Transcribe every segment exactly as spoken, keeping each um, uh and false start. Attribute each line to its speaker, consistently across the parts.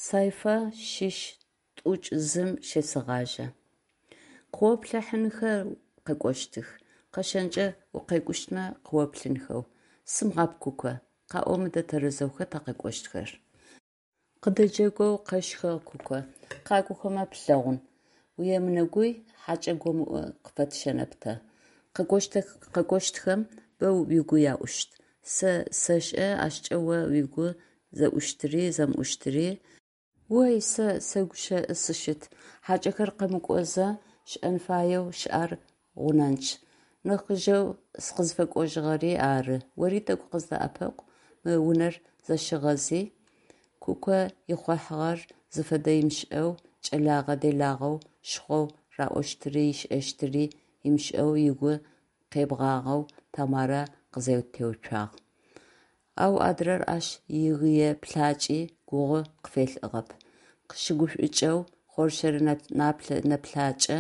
Speaker 1: Сайфа шъищ тӏокӏ зым щесэгъажьэ. Къыоплъыхьанхэу къэкӏощтых. Къэщэнкӏэ укъекӏущтмэ къыоплъынхэу. Сымыгъап, Куко, къаӏо мыдэ тэрэзэу, хэта къэкӏощтхэр? Къыдэджэгоу къэщхыгъ Куко. Къакӏохэмэ плъэгъун. Уемынэгуй, хьакӏэ гомыӏу къыфэтщэнэп тэ. Къэкӏощтхэм бэ угу яӏущт. Сэ сэшӏэ ащкӏэ о угу зэӏущтыри зэмыӏущтыри. Ой, сэ сэгущэӏы сыщыт, хьакӏэхэр къэмыкӏозэ шӏэн фаеу щыӏэр гъунэнчъ. Нахьыжьэу сыкъызфэкӏожьыгъэри ары, ори тӏэкӏу къыздэӏэпыкъу, мы унэр зэщыгъази, Куко ихъухьагъэр зыфэдэ ымышӏэу, кӏэлэгъэ-делагъэу щхъоу, раӏощтыри ышӏэщтыри ымышӏэу ыгу къебгъагъэу Тэмарэ къызэтеуцуагъ. Ау адрэр ащ игые плъакӏи гугъу къыфелӏыгъэп, къыщыгушӏукӏэу хъоршэр нэплъэкӏэ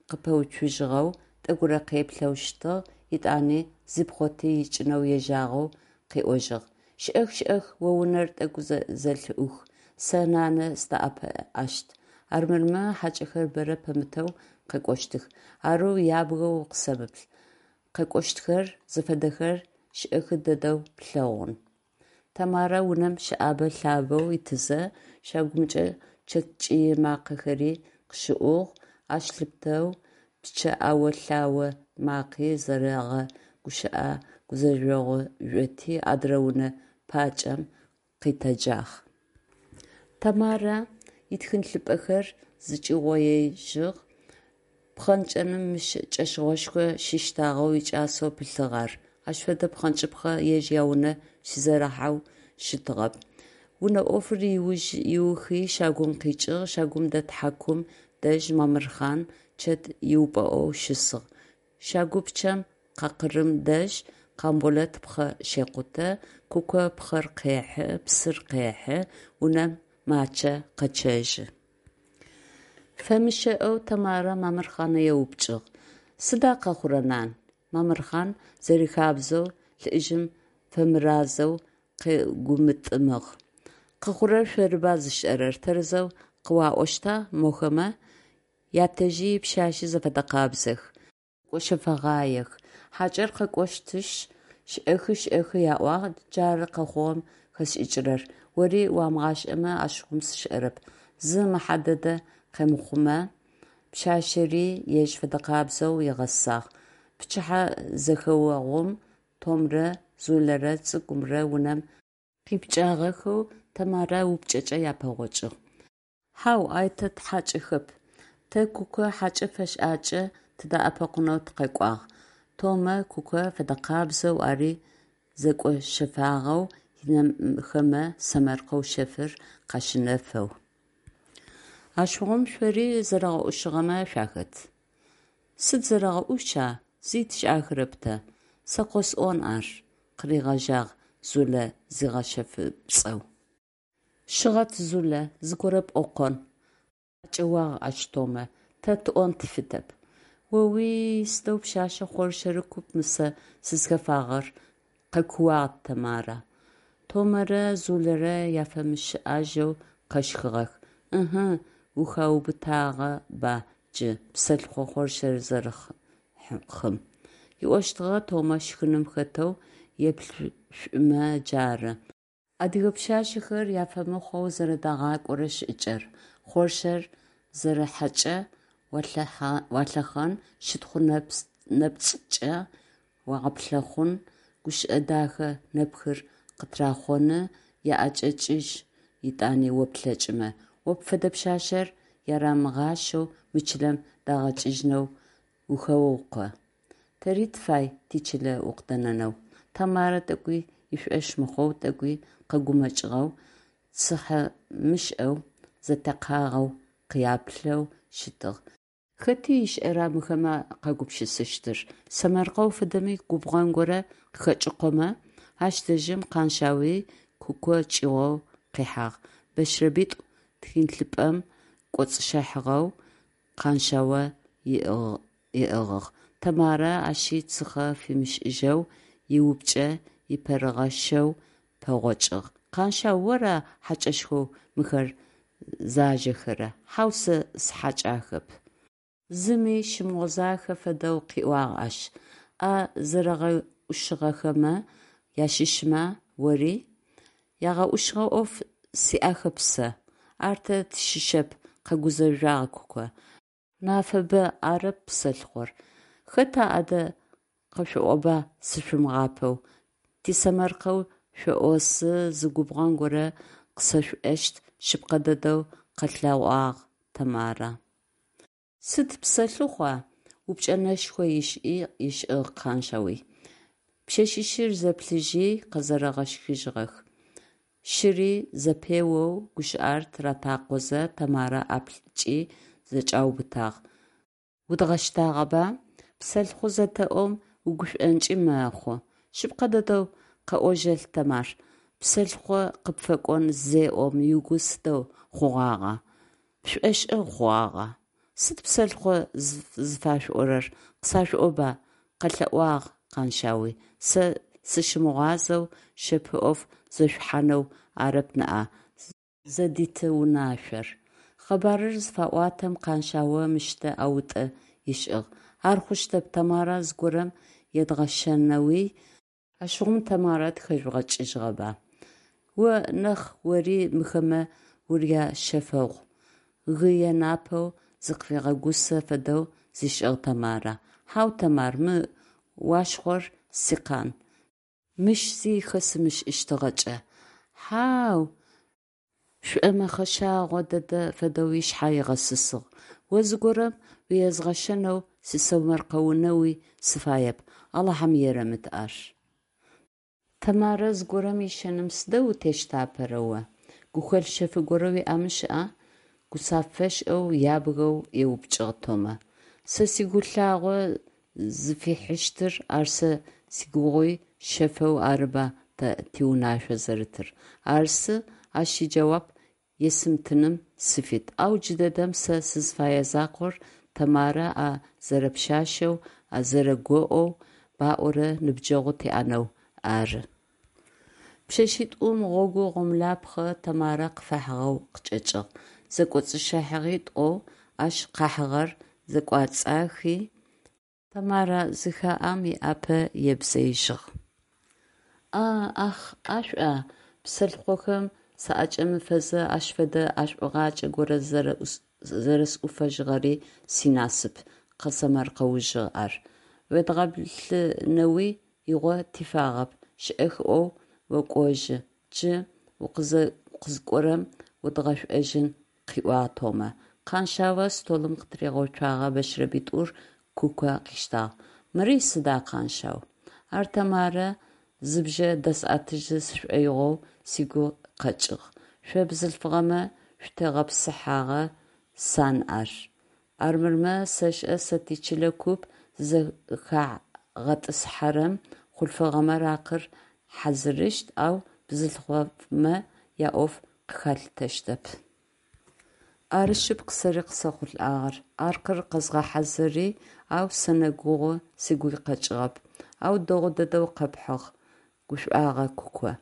Speaker 1: къыпэуцужьыгъэу тӏэкӏурэ къеплъэу щытыгъ, етӏани зипхъоти икӏынэу ежьагъэу къыӏожьыгъ: «Щыӏэх, щыӏэх, о унэр тӏэкӏу зэлъыӏух, сэ нанэ сыдэӏэпыӏэщт, армырмэ хьакӏэхэр бэрэ пэмытэу къэкӏощтых, арэу ябгэу укъысэмыплъ, къэкӏощтхэр зыфэдэхэр шӏэхы дэдэу плъэгъун». Тэмарэ унэм щыӏэбэ-лъабэу итызэ, щагумкӏэ чэт кӏый макъэхэри къыщыӏугъ, ащ лъыпытэу пчъэ ӏэо-лъао макъи, зэрэгъэгущыӏэ гузэжъогъу жъоти адрэ унэ пакӏэм къитэджагъ. Тэмарэ итхылъыпӏэхэр зэкӏиугъоежьыгъ, пхъэнкӏыным мыщ кӏэщыгъошхо щиштагъэу, икӏасэу пылъыгъ ар, ащ фэдэ пхъэнкӏыпхъэ ежь яунэ щызэрахьэу щытыгъэп. Унэ ӏофыр ыухи щагум къикӏыгъ, щагум дэт хьакум дэжь Мамырхъан чэт ыупӏэӏоу щысыгъ, щагупчъэм къакъырым дэжь Къамболэт пхъэ щекъутэ, Куко пхъэр къехьы, псыр къехьы, унэм Мачъэ къэчъэжьы. Фэмыщыӏэу Тэмарэ Мамырхъанэ еупчӏыгъ: «Сыда къэхъурэр, нан?» Мамырхъан зэрихабзэу лӏыжъым фэмыразэу къегумытӏымыгъ: «Къэхъурэр шъорыба зышӏэрэр, тэрэзэу къыуаӏощта мохэмэ, ятэжъи ипшъашъи зэфэдэкъабзэх, зэкӏощэфэгъаех. Хьакӏэр къэкӏощтышъ, шӏэхы шӏэхы яӏуагъ, джары къэхъугъэм хэсшӏыкӏырэр, ори уамыгъашӏэмэ ащыгъум сшӏэрэп», зы мэхьэ дэдэ къэмыхъумэ, пшъашъэри ежь фэдэкъабзэу ыгъэсагъ. Пчыхьэ зэхэогъум Томэрэ Зулэрэ цӏыкӏумрэ унэм къипкӏагъэхэу Тэмарэ упчӏэкӏэ япэгъокӏыгъ. Хьау, ay тэ тыхьакӏэхэп, тэ Куко хьакӏэ фэшӏакӏэ тыдэӏэпыкъунэу тыкъэкӏуагъ, – Томэ Куко фэдэкъабзэу ари зэкӏощэфагъэу, ынэхэмэ сэмэркъэу шъэфыр къащынэфэу. Ащыгъум шъори зэрэгъэӏушыгъэмэ шъуахэт. Сыд зэрэгъэӏуша, зи тшӏахэрэп тэ. Сэ къосӏон ар, – къыригъэжьагъ Зулэ зигъэшъэфыпцӏэу. Щыгъэт, Зулэ, зыгорэ пӏокъон, – къакӏэуагъ ащ Томэ, – тэ тыӏон тыфитэп. О-уи-й, сыдэу пшъэшъэ хъоршэры куп мы сэ сызхэфагъэр, – къэкууагъ Тэмарэ. Томэрэ Зулэрэ яфэмыщыӏэжьэу къэщхыгъэх. Ы-ы, ухаубытагъэба джы псэлъыхъо хъоршэр зэрэхъым, – ыӏощтыгъэ Томэ щхыным хэтэу, еплъышъумэ джары, адыгэ пшъашъэхэр яфэмыхъоу зэрэдагъакӏорэ шӏыкӏэр: хъоршэр зэрэхьэкӏэ уалъэхъэн, щытхъу нэпцӏыкӏэ уагъэплъэхъун, гущыӏэ дахэ нэпхыр къытрахъоны, яӏэкӏэкӏыжь етӏани о плъэкӏымэ. О пфэдэ пшъашъэр ярамыгъащэу мы чылэм дагъэкӏыжьынэу ухэукъо. Тэри тыфай тичылэ укъыдэнэнэу, – Тэмарэ тӏэкӏуи ышӏошъ мыхъоу, тӏэкӏуи къэгумэкӏыгъэу, цыхьэмышӏэу, зэтекъагъэу къяплъэу щытыгъ. Хэти ышӏэра мыхэмэ къаугупшысыщтыр, сэмэркъэу фэдэми губгъэн горэ къыхэкӏыкъомэ? Ащ дэжьым Къаншъауи Куко кӏыгъоу къихьагъ. Бэшэрэбитӏу тхылъымпӏэм кӏоцӏыщыхьагъэу Къаншъао ыӏыгъыгъ. Тэмарэ ащи цыхьэ фимышӏыжьэу, иупчӏэ ипэрыгъэшэу пэгъокӏыгъ. Къаншъау, ора хьакӏэшхоу мыхэр зажэхэрэр? Хьау, сэ сыхьакӏахэп. Зыми щымыгъозахэ фэдэу къыӏуагъ ащ. А зэрэгъэӏушыгъэхэмэ ащыщмэ ори? Ягъэӏушыгъэ ӏоф сиӏахэп сэ. Ар тэ тщыщэп, къэгузэжъуагъ Куко. Нафэба, арэп псэлъыхъор. Хэта адэ, къэшъуӏоба сышъумыгъапэу. Тисэмэркъэу шъоӏозы, зы губгъэн горэ къысэшъуӏощт, шъыпкъэ дэдэу къэлъэӏуагъ Тэмарэ. Сыд псэлъыхъуа? Упчӏэ нэшхо ышӏыгъ Къаншъауи. Пшъэшъищыр зэплъыжьи, къэзэрэгъэщхыжьыгъэх. Щыри зэпеоу гущыӏэр тыратакъозэ, Тэмарэ ӏаплӏкӏи зэкӏаубытагъ. Удгъэщтагъэба? Псэлъыхъо зэтэӏом угушӏонкӏи мэхъу. Шъыпкъэ дэдэу къэӏожьэлъ, Тэмар, псэлъыхъо къыпфэкӏон зеӏом угу сыдэу хъугъагъа, пшӏошӏэу хъугъагъа? Сыд псэлъыхъо зыфашъуӏорэр, къысашъуӏоба, къэлъэӏуагъ Къаншъауи, сэ сыщымыгъуазэу шъэф ӏоф зешъухьанэу арэп ныӏа зэдытиунашъор. Къэбарыр зыфаӏуатэм, Къаншъао мыщтэ ӏэутӏэ ышӏыгъ: «Ар хъущтэп, Тэмарэ зыгорэм едгъэщэнэуи? Ащыгъум Тэмарэ тыхэжъугъэкӏыжьыгъэба? О нахь ори мыхэмэ уряшъэфэгъу, гые напэу зыкъыфигъэгусэ фэдэу зишӏыгъ Тэмарэ. Хьау, Тэмар, мы Уашхъор сикъан, мыщ зи хэсымышӏыщтыгъэкӏэ. Хьа-ау, шӏомэхъэшагъо дэдэ фэдэу ышъхьэ ыгъэсысыгъ, о зыгорэм уезгъэщэнэу, сисэмэркъэунэуи сыфаеп, Алахьым ерэмыт ар. Тэмарэ зыгорэм ыщэным сыдэу утещтапэра о? Гухэлъ шъэф горэ уиӏэмэ шӏэ? Гуцафэшӏэу, ябгэу еупчӏыгъ Томэ. Сэ сигу лъагъо зыфихьыщтыр, ар сэ сигугъуи шъэфэу арыба тэ тиунашъо зэрытыр. Арсы, ащ иджэуап есымытыным сыфит, ау джыдэдэм сэ сызыфэе закъор Тэмарэ а зэрэпшъашъэу, а зэрэгоӏоу баӏорэ ныбджэгъу тиӏэнэу ары. Пшъэшъитӏум гъогу гъомлапхъэ Тэмарэ къыфахьыгъэу къычӏэкӏыгъ. Зэкӏоцӏыщыхьэгъитӏоу ащ къахьыгъэр зэкӏуацӏахи, Тэмарэ зыхаӏэм, ыӏапэ ебзыижьыгъ. А ӏах, ӏэшӏуа? Псэлъыхъохэм саӏэкӏэмыфэзэ, ащ фэдэ ӏэшӏугъакӏэ горэ зэрэсӏуфэжьыгъэри синасып, къэсэмэркъэужьыгъ ар. Уедгъэплъынэуи игъо тифагъэп, шӏэх ӏоу окӏожьы, джы укъызыкӏорэм удгъэшӏожьын, къыӏуагъ Томэ. Къаншъао столым къытыригъэуцогъэ бэшэрэбитӏур Куко къыштагъ. Мыри сыда, Къаншъау? Ар Тэмарэ зыбжъэ дэсӏэтыжьы сшӏоигъоу сыгу къэкӏыгъ. Шъо бзылъфыгъэмэ шъуфытегъэпсыхьэгъэ сан ар. Армырмэ, сэшӏэ сэ тичылэ куп зызэхагъэтӏысхьэрэм, хъулъфыгъэмэ аракъыр хьазырыщт, ау бзылъфыгъэмэ яӏоф къыхалъытэщтэп. Ары шъыпкъ сэри къысэхъулӏагъэр. Аркъыр къэзгъэхьазыри, ау сэнэ гугъу сыгу къэкӏыгъэп. Ау дэгъу дэдэу къэпхьыгъ, гушӏуагъэ Куко.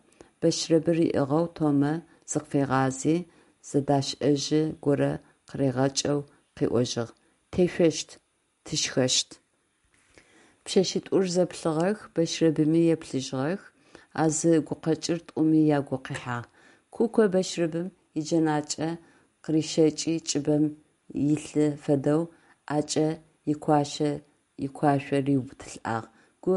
Speaker 1: Бэшэрэбыр ыӏыгъэу Томэ зыкъыфигъази, зыдашӏэжьы горэ къыригъэкӏэу къыӏожьыгъ: «Тешъощт, тышхэщт». Пшъэшъитӏур зэплъыгъэх, бэшэрэбыми еплъыжьыгъэх, а зы гукъэкӏыр тӏуми агу къихьагъ. Куко бэшэрэбым иджэнакӏэ къырищэкӏи кӏыбым илъы фэдэу ӏэкӏэ икуашъо риубытылӏагъ. Гу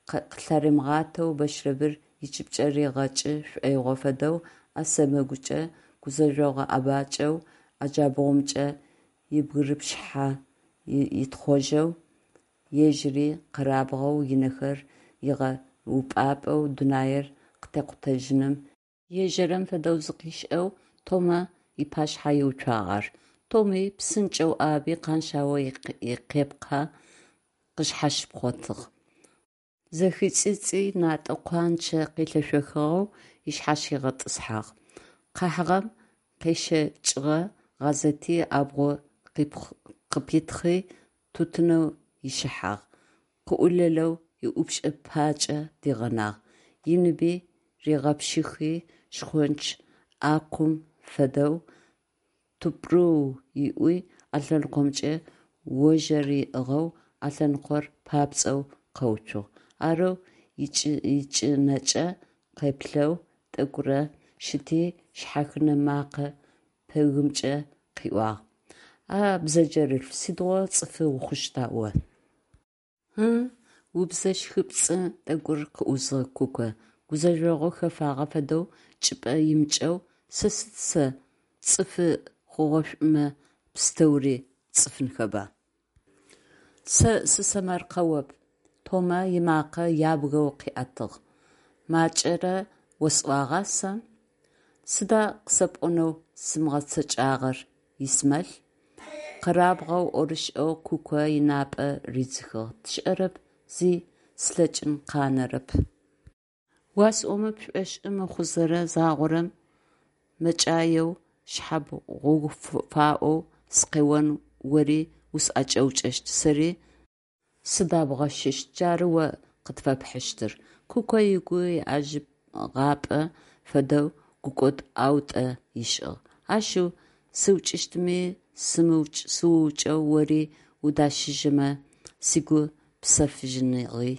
Speaker 1: къылъаримыгъатэу бэшэрэбыр ыкӏыбкӏэ ригъэкӏы шӏоигъо фэдэу ӏэ сэмэгукӏэ гузэжъогъэ ӏэбакӏэу ӏэ джабгъумкӏэ ибгырыпхышъхьэ ытхъожьэу, ежьыри къэрабгъэу, ынэхэр ыгъэупӏапӏэу, дунаир къытекъутэжьыным ежэрэм фэдэу зыкъишӏэу Томэ ыпашъхьэ иуцуагъ ар. Томи псынкӏэу ӏаби Къаншъао икъепкъэ къышъхьащипхъотыгъ. Зэхицӏыцӏи натӏэ къуанчэ къелъэшъохыгъэу ышъхьащигъэтӏысхьагъ. Къахьыгъэм къещэкӏыгъэ гъазети абгъу къыпитхъи, тутынэу ыщыхьагъ, къыӏулэлэу ыӏупшӏэ пакӏэ дигъэнагъ. Ыныби ригъэпшыхи, шхонч ӏакъум фэдэу тупрыу ыӏуи, ӏэлъэныкъомкӏэ ожъэр ыӏыгъэу, ӏэлъэныкъор папцӏэу къэуцугъ. Арэу ичӏынэкӏэ къеплъэу тӏэкӏурэ щыти, шъхьэхынэ мэкъэ пэгымкӏэ къыӏуагъ: «А бзэджэрылъф, сыдигъо цӏыфы ухъущта о?!» Ы? – убзэ щхыпцӏы тӏэкӏур къыӏузыгъ Куко, гузэжъогъу хэфагъэ фэдэу чӏыпӏэ имыкӏэу, сэ сыд сэ, цӏыфы хъугъэшӏумэ пстэури цӏыфынхэба? Сэ сысэмэркъэоп, – Томэ ымакъэ ябгэу къыӏэтыгъ, макӏэрэ осӏуагъа сэ? Сыда къысэпӏонэу сымыгъэцэкӏагъэр, Исмел? Къэрабгъэу, ӏорышӏэу Куко ынапӏэ ридзыхыгъ. Сшӏэрэп, зи слъэкӏын къанэрэп. Уасӏомэ пшӏошъы мыхъузэрэ, загъорэм мэкӏаеу шъхьэбгъуфаӏоу сыкъеон, ори усӏэкӏэукӏэщт, сэри сыдэбгъэшыщт, джары о къытфэпхьыщтыр! Куко ыгу еӏэжьыгъапэ фэдэу гукӏод ӏэутӏэ ышӏыгъ. Ашъыу, сыукӏыщтми сыуукӏэу ори удащыжьымэ, сыгу псэфыжьыныгъи.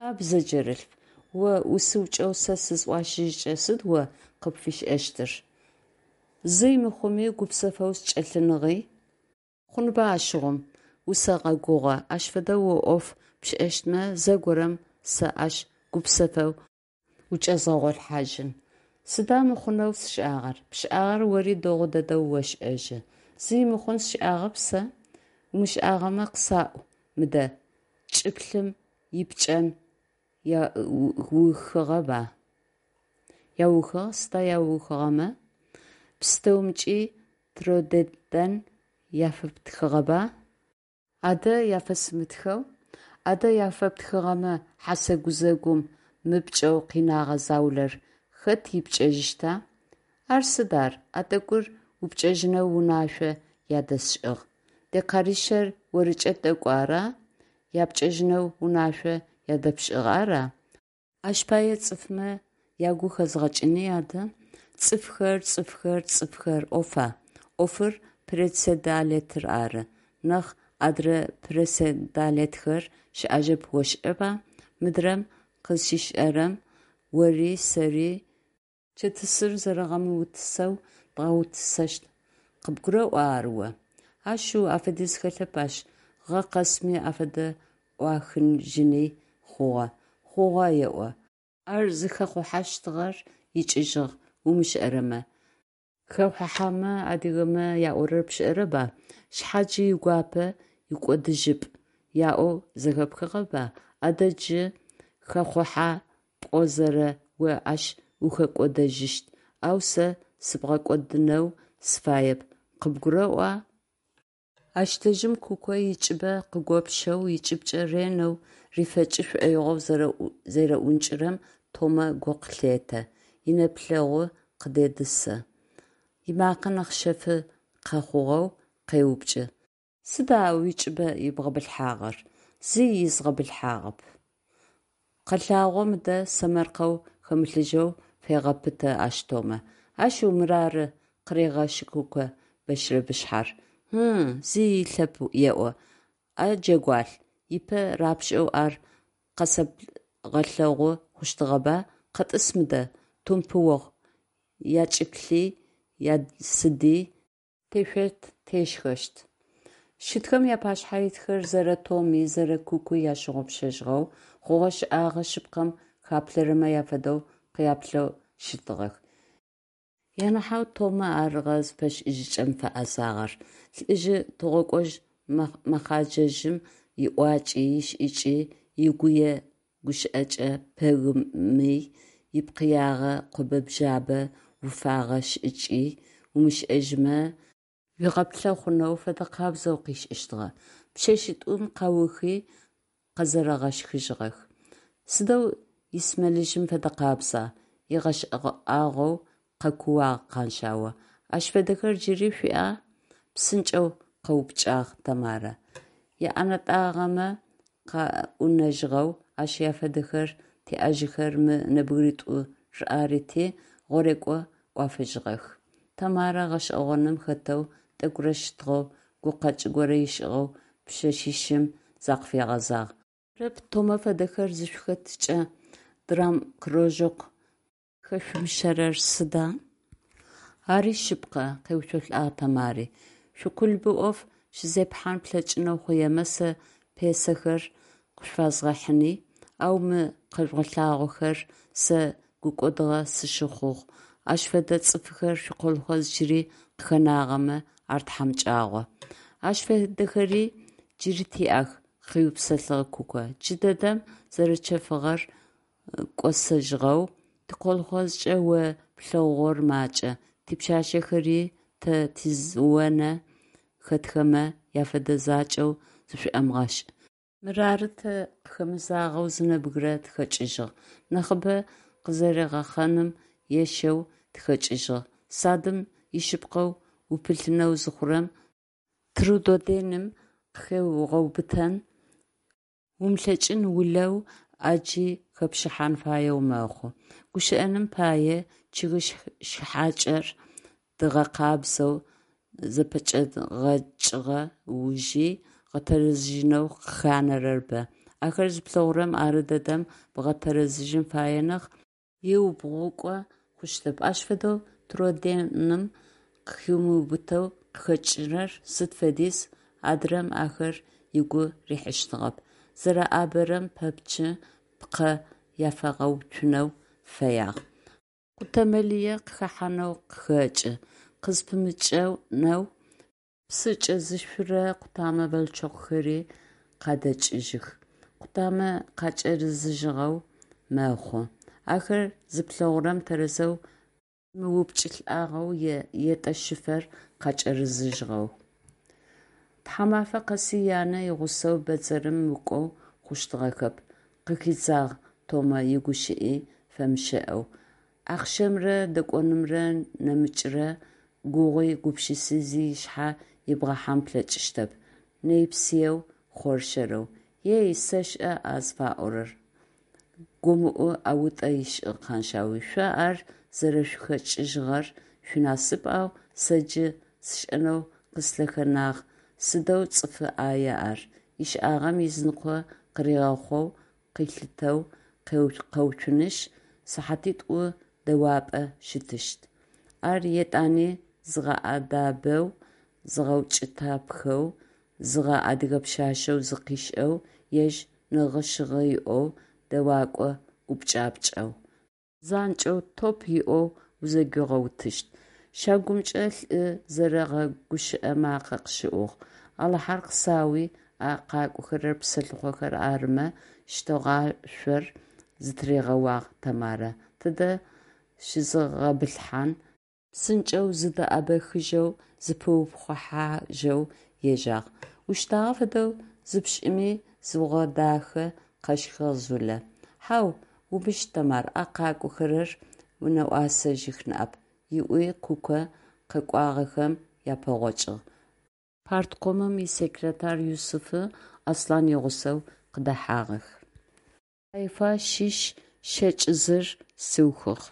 Speaker 1: А бзэджэрылъф, о усыукӏэу сэ сызӏуащыжькӏэ сыд о къыпфишӏэщтыр? Зи мыхъуми гупсэфэу сычӏэлъыныгъи. Хъунба ащыгъум, усэгъэгугъэ, ащ фэдэу о ӏоф пшӏэщтмэ, зэгорэм сэ ащ гупсэфэу учӏэзгъэгъолъхьажьын. Сыда мыхъунэу сшӏагъэр? Пшӏагъэр ори дэгъу дэдэу ошӏэжьы. Зи мыхъун сшӏагъэп сэ. Умышӏагъэмэ къасӏу мыдэ, чӏыплъым ипкӏэн яухыгъэба? Яухыгъ. Сыда яухыгъэмэ? Пстэумкӏи трудоден яфэптхыгъэба? Адэ яфэсымытхэу? Адэ яфэптхыгъэмэ, хьасэ гузэгум мыпкӏэу къинэгъэ заулэр хэт ипкӏэжьыщта? Ар сыд ар, а тӏэкӏур упкӏэжьынэу унашъо ядэсшӏыгъ. Декаришъэр орыкӏэ тӏэкӏу ара? Япкӏэжьынэу унашъо ядэпшӏыгъ, ара? Ащ пае цӏыфмэ ягу хэзгъэкӏыни адэ. Цӏыфхэр, цӏыфхэр, цӏыфхэр ӏофа? Ӏофыр председалетыр ары. Нахь адрэ председалетхэр щыӏэжьэп ошӏэба? Мыдрэм къызщишӏэрэм ори сэри чэтысыр зэрэгъэмыутысэу дгъэутысэщт, къыбгурэӏуа ар о? Ашъыу, афэдиз хэлъэп ащ, гъэ къэсми афэдэ ӏуахыжьыни, хъугъэ. Хъугъэ еӏо. Ар зыхэхъухьэщтыгъэр икӏыжьыгъ умышӏэрэмэ. Хэхъухьэмэ адыгэмэ яӏорэр пшӏэрэба? Шъхьаджи игуапэ икӏодыжьыпӏ яӏоу зэхэпхыгъэба? Адэ джы хэхъухьэ пӏозэрэ о ащ ухэкӏодэжьыщт, ау сэ сыбгъэкӏодынэу сыфаеп, къыбгурэӏуа? Ащ дэжьым Куко ыкӏыбэ къыгопщэу, ыкӏыбкӏэ ренэу рифэкӏы шӏоигъоу зэреӏункӏырэм Томэ гу къылъетэ, инэплъэгъу къыдедзысы, ымакъэ нахь шъэфы къэхъугъэу къеупчӏы: «Сыда а уикӏыбэ ибгъэбылъхьагъэр?» «Зи изгъэбылъхьагъэп». «Къэлъагъо мыдэ», сэмэркъэу хэмылъыжьэу фегъэпытэ ащ Томэ. «Ашъыу, мырары», – къырегъэщы Куко бэшэрэбышъхьэр. «Ы-ы, зи илъэп еӏо. А джэгуалъ, ыпэ рапшӏэу ар къэсэбгъэлъэгъу хъущтыгъэба, къэтӏыс мыдэ, тумпы охъу, ячӏыплъи, ясыди тешъощт-тешхэщт. Щытхэм апашъхьэ итхэр зэрэ Томи, зэрэ Кукуи ащыгъупшэжьыгъэу, хъугъэ-шӏэгъэ шъыпкъэм хаплъэрэмэ афэдэу къяплъэу щытыгъэх. Анахьэу Томэ арыгъэ зыфэшӏыжьыкӏэм фэӏэзагъэр. Лӏыжъы тыгъокӏожъ мэхъэджэжъым иӏуакӏи, ишӏыкӏи, игые гущыӏэкӏэ пэгъыми, ипкъыягъэ къобэ-бжъэбэ уфэгъэ шӏыкӏи умышӏэжьымэ уигъэплъэхъунэу фэдэкъабзэу къишӏыщтыгъэ. Пшъэшъитӏум къаухи, къэзэрэгъэщхыжьыгъэх. «Сыдэу Исмелыжъым фэдэкъабза!» – ыгъэшӏагъоу къэкууагъ Къаншъао. «Ащ фэдэхэр джыри шъуиӏа?» – псынкӏэу къэупчӏагъ Тэмарэ. Иӏэнэтӏагъэмэ къаӏунэжьыгъэу ащ афэдэхэр тиӏэжьыхэр мы нэбгыритӏур арыти, гъорекӏо ӏуафыжьыгъэх. Тэмарэ гъэшӏэгъоным хэтэу тӏэкӏурэ щытыгъэу, гукъэкӏ горэ ышӏыгъэу пшъэшъищым закъыфигъэзагъ. Арэп, Томэ фэдэхэр зышъухэтыкӏэ драмкружок зэхэшъумыщэрэр сыда? Ари шъыпкъэ, – къеуцолӏагъ Тэмари. Шъуиклубы ӏоф щызепхьан плъэкӏынэу хъуемэ, сэ пьесэхэр къышъуфэзгъэхьыни, ау мы къэжъугъэлъагъохэр сэ гукӏодыгъэ сщыхъугъ, ащ фэдэ цӏыфхэр шъуиколхоз джыри къыхэнагъэмэ, ар тхьамыкӏагъо. Ащ фэдэхэри джыри тиӏэх, – къыупсэлъыгъ Куко, джыдэдэм зэрэчэфыгъэр кӏосэжьыгъэу, тиколхозкӏэ о плъэгъугъэр макӏэ, типшъашъэхэри тэ тизонэ хэтхэмэ афэдэ закӏэу зышӏомыгъэшӏ. Мырары тэ къыхэмызагъэу зы нэбгырэ тхэкӏыжьыгъ, нахьыбэ къызэригъэхъэным ешэу тыхэкӏыжьыгъ. Садым ишъыпкъэу упылъынэу зыхъурэм трудоденым къыхеубгъутэн умылъэкӏын улэу ӏаджи хэпшӏыхьан фаеу мэхъу. Гущыӏэным пае, чъыг шъхьакӏэр дгъэкъабзэу зэпэкӏэдгъэкӏыгъэ ужи гъэтэрэзыжьынэу къыханэрэр бэ, ахэр зыплъэгъурэм ары дэдэм бгъэтэрэзыжьын фае нахь, еубгъукӏо хъущтэп, ащ фэдэу трудоденым къыхиубытэу къыхэкӏырэр сыд фэдиз, адрэм ахэр ыгу рихьыщтыгъэп, зэрэӏабэрэм пэпчъы пкъэ афигъэуцунэу фэягъ. Къутэмэ лые къыхэхьанэу къыхэкӏы, къызпымыкӏэнэу псы кӏэзышъурэ къутэмэ волчокхэри къадэкӏыжьых, къутамэ къакӏэрызыжьыгъэу мэхъу. Ахэр зыплъэгъурэм тэрэзэу пымыупкӏылӏагъэу е етӏэ шыфэр къакӏэрызыжьыгъэу. Тхьамафэ къэси янэ игъусэу бэдзэрым мыкӏоу хъущтыгъэхэп, къыхидзагъ Томэ игущыӏи фэмыщыӏэу. Ахъщэмрэ дэкӏонымрэ нэмыкӏрэ гугъуи гупшыси зи ышъхьэ ибгъэхьан плъэкӏыщтэп, нэйпсыеу, хъоршэрэу. Ей, сэшӏэ а зыфаӏорэр, гомыӏу ӏэутӏэ ышӏыгъ Къэншъаугъур, шъо ар зэрэшъухэкӏыжьыгъэр шъуинасып, ау сэ джы сшӏэнэу къыслъэхэнагъ, сыдэу цӏыфы ӏая ар, ышӏагъэм ызыныкъо къыригъэхъоу къылъитэу къэуцунышъ, сыхьатитӏо дэуапӏэ щытыщт. Ар етӏани зыгъэӏэдэбэу, зыгъэукӏытапхэу, зыгъэ адыгэ пшъашъэу зыкъишӏэу, ежь нэгъы-шъыгъы иӏэу, дэуакӏо ӏупкӏапкӏэу. Занкӏэу, топ иоу узэгуигъэутыщт. Щагумкӏэ лӏы зэрэгъэгущыӏэ макъэ къыщыӏугъ. «Алахьэр къысауи, а къакӏохэрэр псэлъыхъохэр арымэ», щтэгъашъор зытыригъэуагъ Тэмарэ, «тыдэ щызгъэбылъхьан!» Псынкӏэу зыдэӏэбэхыжьэу зыпиупхъухьажьэу ежьагъ. Ущтагъэ фэдэу зыпшӏыми зыбгъэдахэ, къэщхыгъ Зулэ. Хьау, умыщт, Тэмар, а къакӏохэрэр уинэӏосэжьых ныӏэп, – ыӏуи Куко къэкӏуагъэхэм япэгъокӏыгъ. Парткомым исекретарь Юсыфи Аслъан игъусэу къыдэхьагъэх. Хайфа щыщ щэкӏ зыр сыухыгъ.